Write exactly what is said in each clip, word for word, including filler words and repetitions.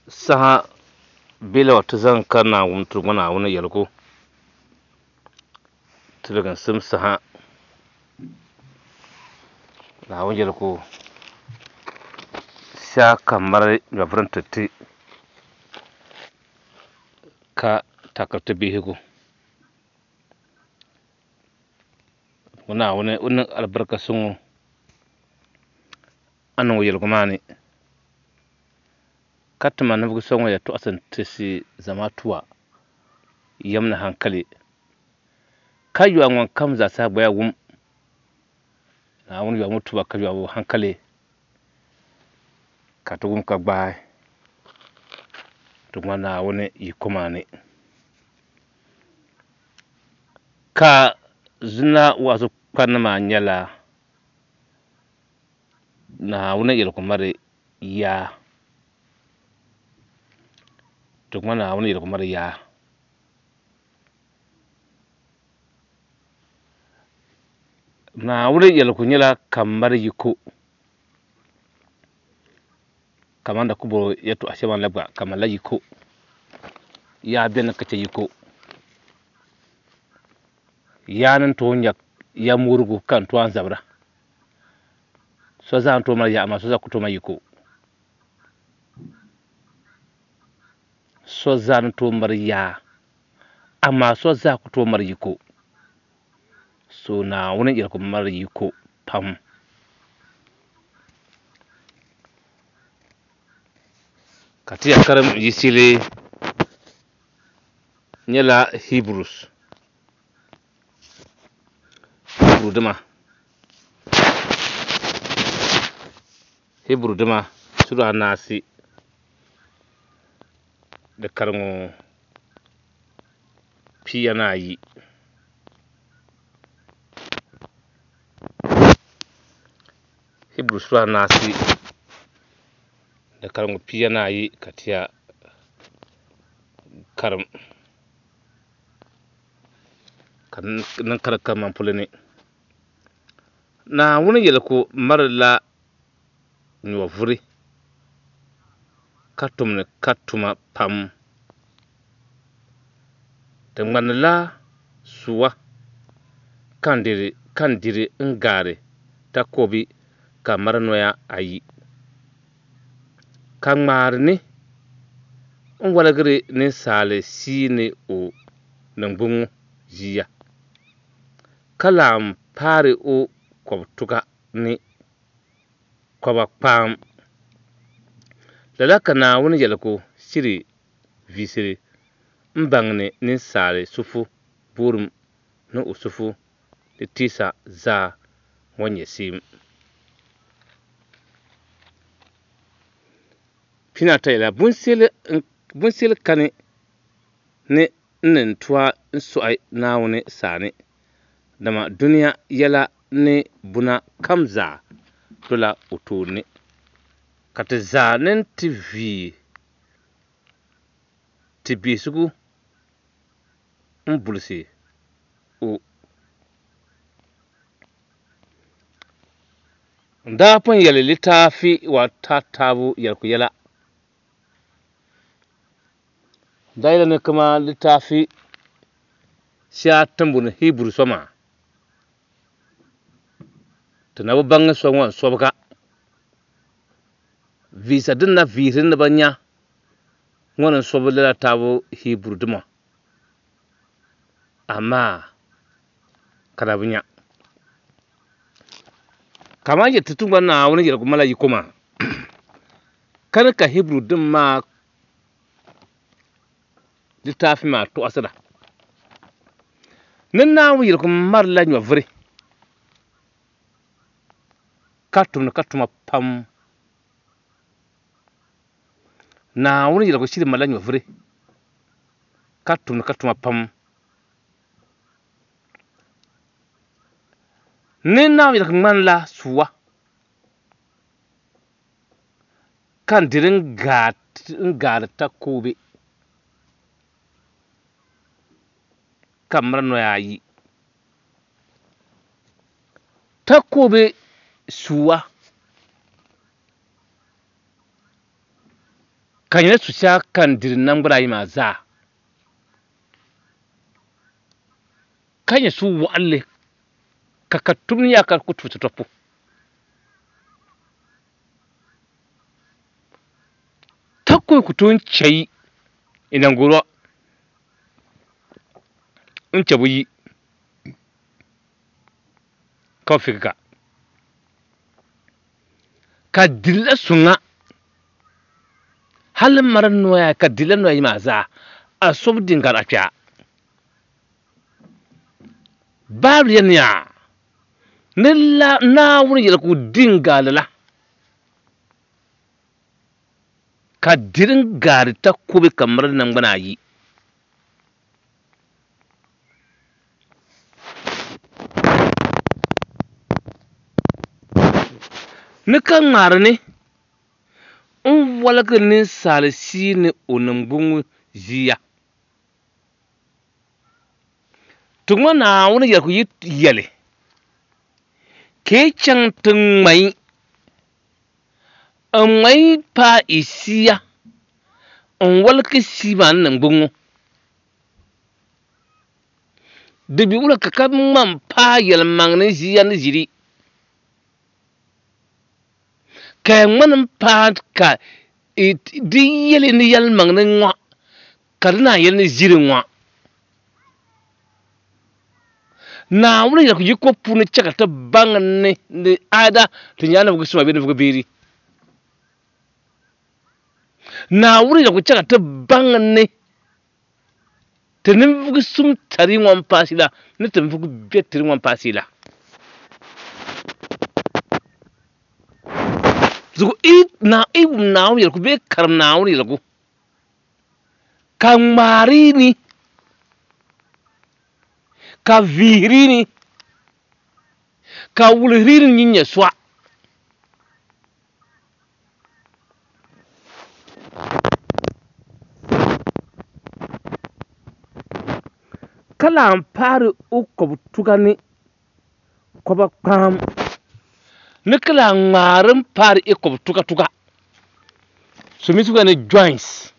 Saha bela wa ti zaŋ ka Naawuni tiri ŋɔ Naawuni yɛligu tiliginsim saha. Naawuni yɛligu sha ka mali nyɔvuri n-ti ti ka takiri ti bihigu. Ŋɔ Naawuni o niŋ alibarika suŋ a niŋ o yɛligu maa ni ka tima ninvuɣ so ŋun yɛn tɔɣisi n-tisi zamaatu yɛm ni hankali ka yɔhi ŋun kam zaa saha gbaya wum Naawuni yɔhimi tuba ka yɔhi hankali ka ti wum ka gbaai ti ŋma Naawuni yiko maa ni. Ka zina wa'azu kparinima maa nyɛla Naawuni yɛligu mali yaa. Ti ŋma Naawuni yɛligu mali yaa. Naawuni yɛligu nyɛla ka mali yiko kamani da ku bo yɛltɔɣa shɛŋa la gba ka malila yiko. Yaa beni ka chɛ yiko. Yaa ni tooi nya ya moorigu ka n tooi zabira. So zaa n tooi mali yaa amaa so zaa ku tooi mali yiko. So zaa ni tooi mali yaa amaa so zaa ku tooi mali yiko. So Naawuni yɛligu mali yiko pam. Ka ti ya karim yiɣisili nyɛla Hebrews. Hiburu dima. Hiburu dima sura anaasi di kariŋɔ pia ni ayi. Hiburu sura anaasi di kariŋɔ pia ni ayi ka ti ya karim ka niŋ karim kaman polo ni. Naawuni yɛligu malila nyɔvuri ka tumdi ka tuma pam. Di ŋmanila sua ka n diri n-gaari takɔbi ka mali noya ayi, ka ŋmaari ni n-waligiri ninsal shia ni o niŋgbuŋ ʒia, ka lan paari o kɔbituga ni kɔba kpaam. Lala ka Naawuni yɛligu shiri viisiri m-baŋdi ninsal suhu bɔrim ni o suhu ni teesa zaa ŋɔ nyɛ shɛm. Pinaata yɛla, Bunsili kani ni n ni tooi n-sɔɣi Naawuni sani, dama dunia yɛla ni buna kam zaa dola o tooni. Ka ti zaa ni ti vie ti biɛhigu m-bulisi o. N daa pun yɛli litaafi wa tatabo yɛligu yɛla. N daa yɛli ni kaman litaafi shɛli ti ni booni Hiburu so maa, ti na bi baŋ so ŋɔ n-sɔbiga. Viisa din na viihiri ni ba nya ŋɔ ni n-sɔbi lala taabo Hiburu dima, amaa ka na bi nya. Kaman yɛli ti tiŋgbani Naawuni yɛligu mala yiko maa, kani ka Hiburu dim maa litaafi maa tɔɣisira ni Naawuni yɛligu malila nyɔvuri ka tumdi ka tuma pam. Naawuni yɛligu shiri malila nyɔvuri ka tumdi ka tuma pam. Ni Naawuni yɛligu ŋmanila sua ka n diri n-gaari takoobe ka mali noya ayi. Takoobe sua Ka nyɛla su shɛŋa kan diri namgbana ayi maa zaa. Ka nyɛ su waɣinli ka ka tum ni yaa ka ku tuuti tɔpu. Takobi ku tooi chɛ yi inangoro n chɛ bu yi ka bi figi ka. Ka dirila suŋa hali mari noya ka dirila noya yi maa zaa a so bi din gari a kpɛa. Baabuli yɛli ni la Naawuni yɛli ka o din gaali la ka dirin gaari takobi ka mari nangbana ayi. Ni ka ŋmaari ni n waligi ninsaal shii ni o niŋgbuŋ ʒiya. Ti ŋɔ Naawuni yɛli ku yi yɛli ka yi chaŋ ti ŋmai n ŋmai paai i shia n waligi shii maa ni niŋgbuŋ ŋɔ. Di bi wula ka ka ŋma m paai yɛlimaŋli ʒiya ni ʒiri. Ka ya ŋmani m paai ka di yɛli ni yɛlimaŋli ŋɔ ka di naan yɛli ni ʒiri ŋɔ. Naawuni yɛli ku yiko puuni chɛ ka ti baŋ ni ni aida ti nyɛla ninvuɣ suma bee ninvuɣ beeri. Naawuni yɛli ku chɛ ka ti baŋ ni ti ninvuɣ sum tari ŋɔ m-paasi la ni ti ninvuɣ biɛ tiri ŋɔ m-paasi la. Zuɣu i wum Naawuni yɛligu bee karim Naawuni yɛligu ka ŋmaari ni ka vihiri ni ka wulihiri ni nyin nyɛ sɔɣ. Ka lahi paari o kɔbu tuga ni kɔba kpaam ni ka lahi ŋmaari m paari i kɔbu tuga tuga. So mi tuga ni joints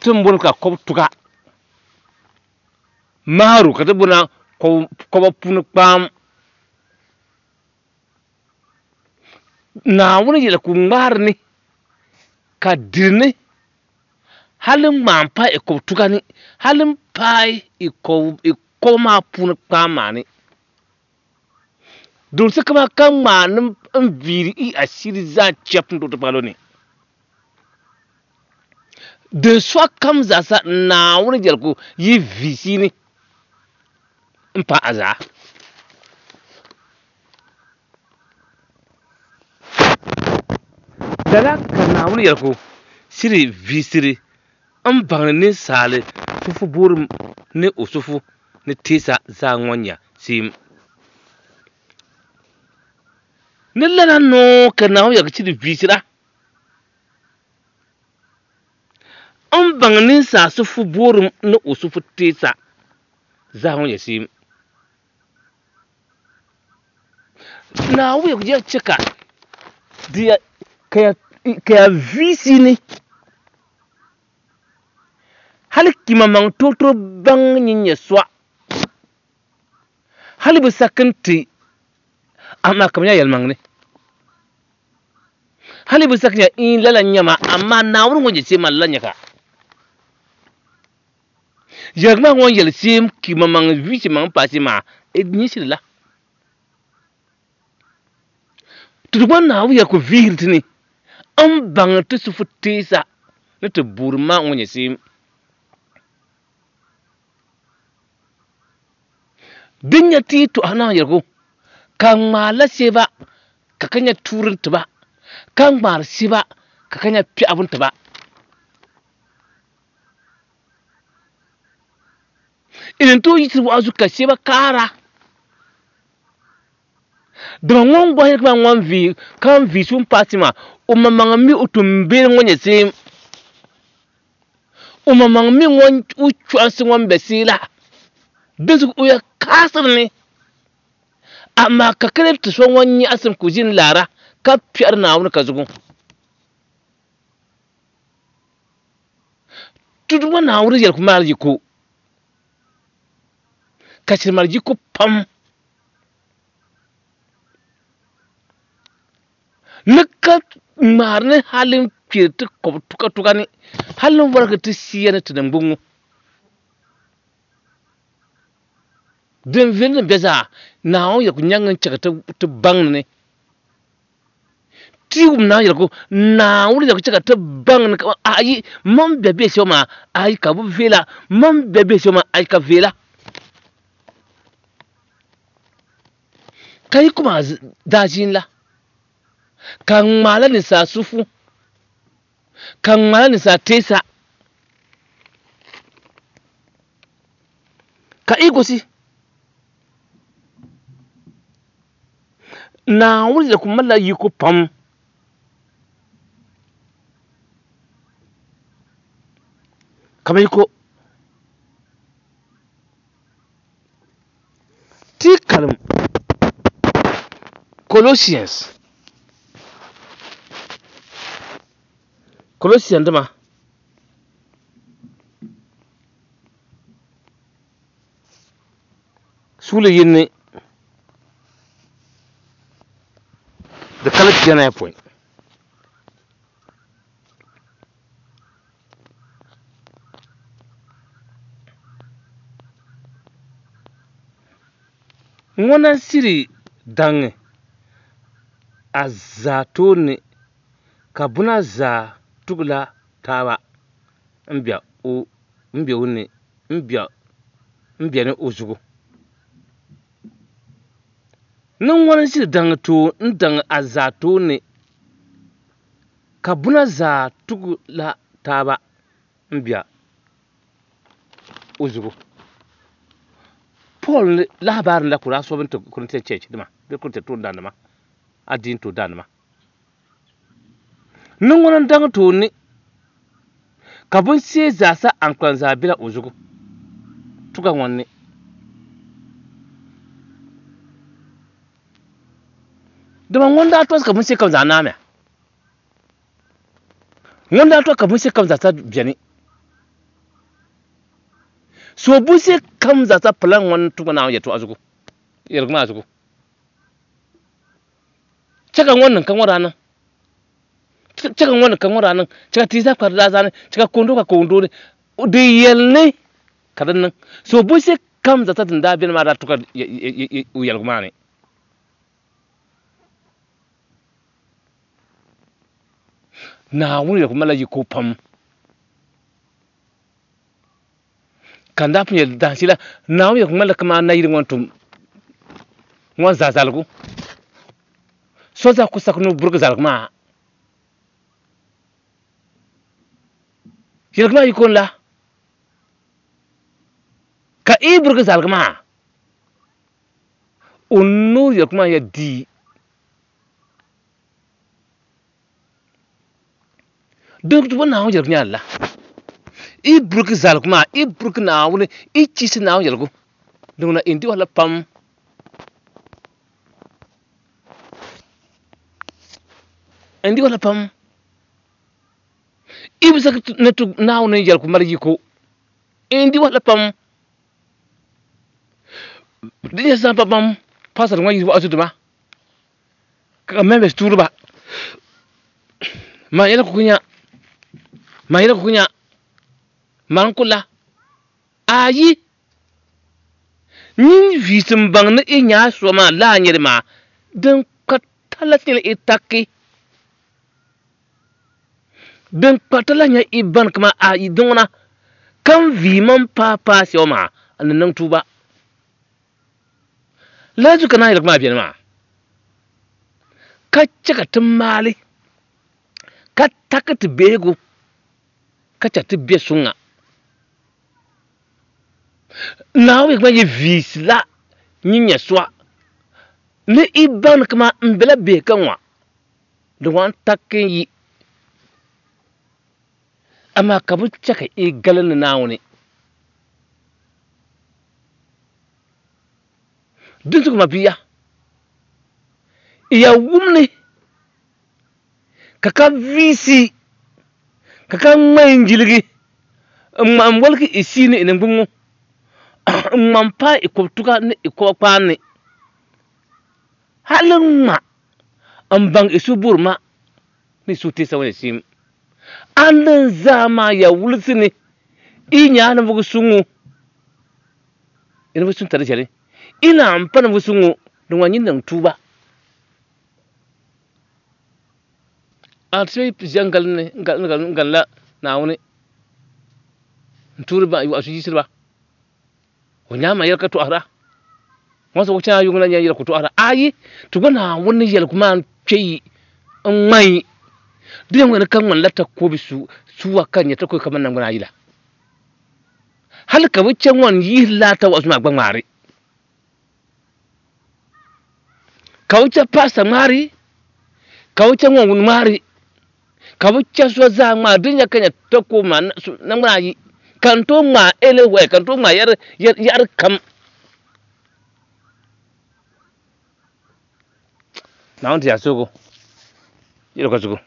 ti n bɔni ka kɔbu tuga maaru ka ti bɔna kɔba puuni kpaam. Naawuni yɛli ku ŋmaari ni ka diri ni hali ŋmaa m paai i kɔbu tuga ni hali m paai i kɔbu maa puuni kpaam maa ni. Don se kama ka ŋmaa ni n viiri i ashiri zaa chɛp n tooi ti palo ni. Din sɔɣa kam zaasa Naawuni yɛli ku yi viisi ni n paai a zaa. Lala ka Naawuni yɛli ku shiri viisiri n baŋni ninsaali sufu boorim ni o sufu ni teesa zaa ŋɔ nya seem. Ni lala noo ka Naawuni yɛli ku shiri viisira n baŋ ninsaal sufu boorim ni o sufu teesa zaa ŋɔ nya seem. Naawuni yɛli ku ya chɛ ka di ya ka ya viisi ni hali kima maŋ tooi baŋ nyin nyɛ sɔɣ hali bi sakin ti amaa ka bi nya yɛlimaŋli hali bi sakin ya in lala nyɛma amaa Naawuni ŋɔ nyɛ seem maa lala nyɛ ka yɛligi maa ŋɔ yɛli seem kima maŋ viisi maŋ paasi maa nyɛ shiri la. Ti gba Naawuni yɛli ku vihiri ti ni n baŋ ti sufu teesa ni ti buuri maa ŋɔ nyɛ seem. Din nyɛ ti yi tɔhi Naawuni yɛligu ka ŋmaarila seeba ka ka nya tuuri n tiba ka ŋmaari seeba ka ka nya piɛɣu n tiba. Inin tooi yiɣisiri wa'azu ka seeba kaara. Dama ŋun gɔhi yɛli ŋun vi ka n vi sun paasi maa o maŋmaŋ mi o tumbeeri ŋɔ nyɛ seem. O maŋmaŋ mi ŋun o chɔɣinsi ŋun be see la. Dinzuɣu o ya kaasiri ni. Amaa ka kali ti so ŋun nyaɣisim ka o ʒini laara ka piɛri Naawuni ka zuɣu. Tudu ŋɔ Naawuni yɛligu maali yiko ka shiri mali yiko pam ni ka ŋmaari ni hali n-kpiri ti kɔbu tukatuka ni hali n-warigi ti siya ni ti niŋgbuŋ ŋɔ din viɛli din be zaa Naawuni yɛligu nyaŋ n-chɛ ka ti baŋ ni ti wum Naawuni yɛligu Naawuni yɛligu chɛ ka ti baŋ ni ayi man be bɛ shɛba maa ayi ka bi viɛla man be bɛ shɛba maa ayi ka viɛla ka yi kuma daa ʒini la ka ŋmaala ninsaa sufu ka ŋmaala ninsaa teesa ka i gosi Naawuni yɛligu malila yiko pam kama yiko ti karim Colossians Colossians dima suuli yini di kali pia ni ayopɔin ŋuna n-siri daŋ a zaa tooni ka buna zaa tugila taaba m-be ni o zuɣu. Ni ŋuna n-siri daŋ a zaa tooni ka buna zaa tugila taaba m-be o zuɣu. Paul lahabaarin la ka o daa sɔbi n-ti Corinthian Church nima bee Corinthian toondaannima adiini toondaannima. Ni ŋuna n-daŋ tooni ka binshee zaa sa ankpalim zaa bela o zuɣu tuga ŋɔ ni. Dama ŋun daa tɔsi ka binshee kam zaa naamia. Ŋun daa tɔsi ka binshee kam zaa sa beni. So binshee kam zaa sa pala ŋun tuga Naawuni yɛltɔɣa zuɣu yɛligu maa zuɣu. Chɛ ka ŋɔ niŋ ka ŋɔ daa niŋ. Chɛ ka ŋɔ niŋ ka ŋɔ daa niŋ. Chɛ ka tia zaa kpari daa zaani. Chɛ ka koondo ka koondo ni. Di yɛli ni ka di niŋ. So binshee kam zaa sa din daa beni maa daa tuka o yɛligu maa ni. Naawuni yɛligu malila yiko pam. Ka n daa pun yɛli dahinshee la Naawuni yɛligu ŋmanila kamani nayili ŋɔ n-tum ŋɔ zaa zaligu. So zaa ku saki ni o burigi zaligu maa. Yɛligu maa yiko n-la ka i burigi zaligu maa o nuu yɛligu maa ya dii. Din tuba Naawuni yɛligu nyaanla i burigi zaligu maa i burigi Naawuni i chiisi Naawuni yɛligu din ŋuna n di wahala pam. N di wahala pam. I bi saki ni ti Naawuni yɛligu mali yiko n di wahala pam. Di nyɛ zaŋ pam pam pastor ŋɔ yi wa'azu dima ka members tuuri ba maa yɛli kukunya maa yɛli kukunya maa n kula ayi nyin viisi n baŋ ni i nyaa so maa laa nyɛli maa din kpa tala nyɛla i taki din kpa tala nyɛ i ban kama ayi din ŋuna kam vii man paa paa shɛba maa ni niŋ tuuba lala zuɣu ka naa yɛligu maa beni maa ka chɛ ka ti maali ka taki ti behigu ka chɛ ti be suŋa. Naawuni yɛligu maa nyɛ viisi la nyin nyɛ suwa ni i baŋ ni kaman m bela bihi ka ŋɔ di ŋɔ n taki n yi amaa ka bi chɛ ka i gali ni Naawuni. Din zuɣu ma bia i ya wum ni ka ka viisi ka ka ŋmai n jiligi N ŋma n woligi i sii ni i ningbunŋo. N ŋma n paai i kɔbituga ni i kɔba kpaan ni. Hali n ŋma n baŋ i su burima ni i su teesa ŋɔ ni siim. A ni zaa maa ya wulisi ni i nyaa ninvuɣu suŋ ŋɔ. I ninvuɣu suŋ tari ʒɛli. I naan pa ninvuɣu suŋ ŋɔ din ŋɔ nyin niŋ tuuba. A ti ʒe n-gali ni n-galila Naawuni n-tuuri ba waɣisu yiɣisiri ba. O nyaama yɛli ka tɔhira. Ŋɔ zuɣu chana yuŋ la nyɛ yɛli ku tɔhira. Ayi, ti gba Naawuni ni yɛligu maa n-kpe yi n-ŋma yi. Di yɛn ŋmani ka ŋmanila takobi su suwa ka nyɛ takobi kamani naŋgbana ayi la. Hali ka bɛ chɛ ŋɔn yihiri laa tawaɣisu maa gba ŋmaari. Ka bɛ chɛ paɣisa ŋmaari, ka bɛ chɛ ŋɔn wuni ŋmaari, ka bɛ chɛ so zaa ŋmaari. Din ya ka nyɛ takobi maa naŋgbana ayi, ka n tooi ŋmaai anywhere, ka n tooi ŋmaai yaɣiri kam. Naawuni ti yaa suhigu yɛli ka zugu.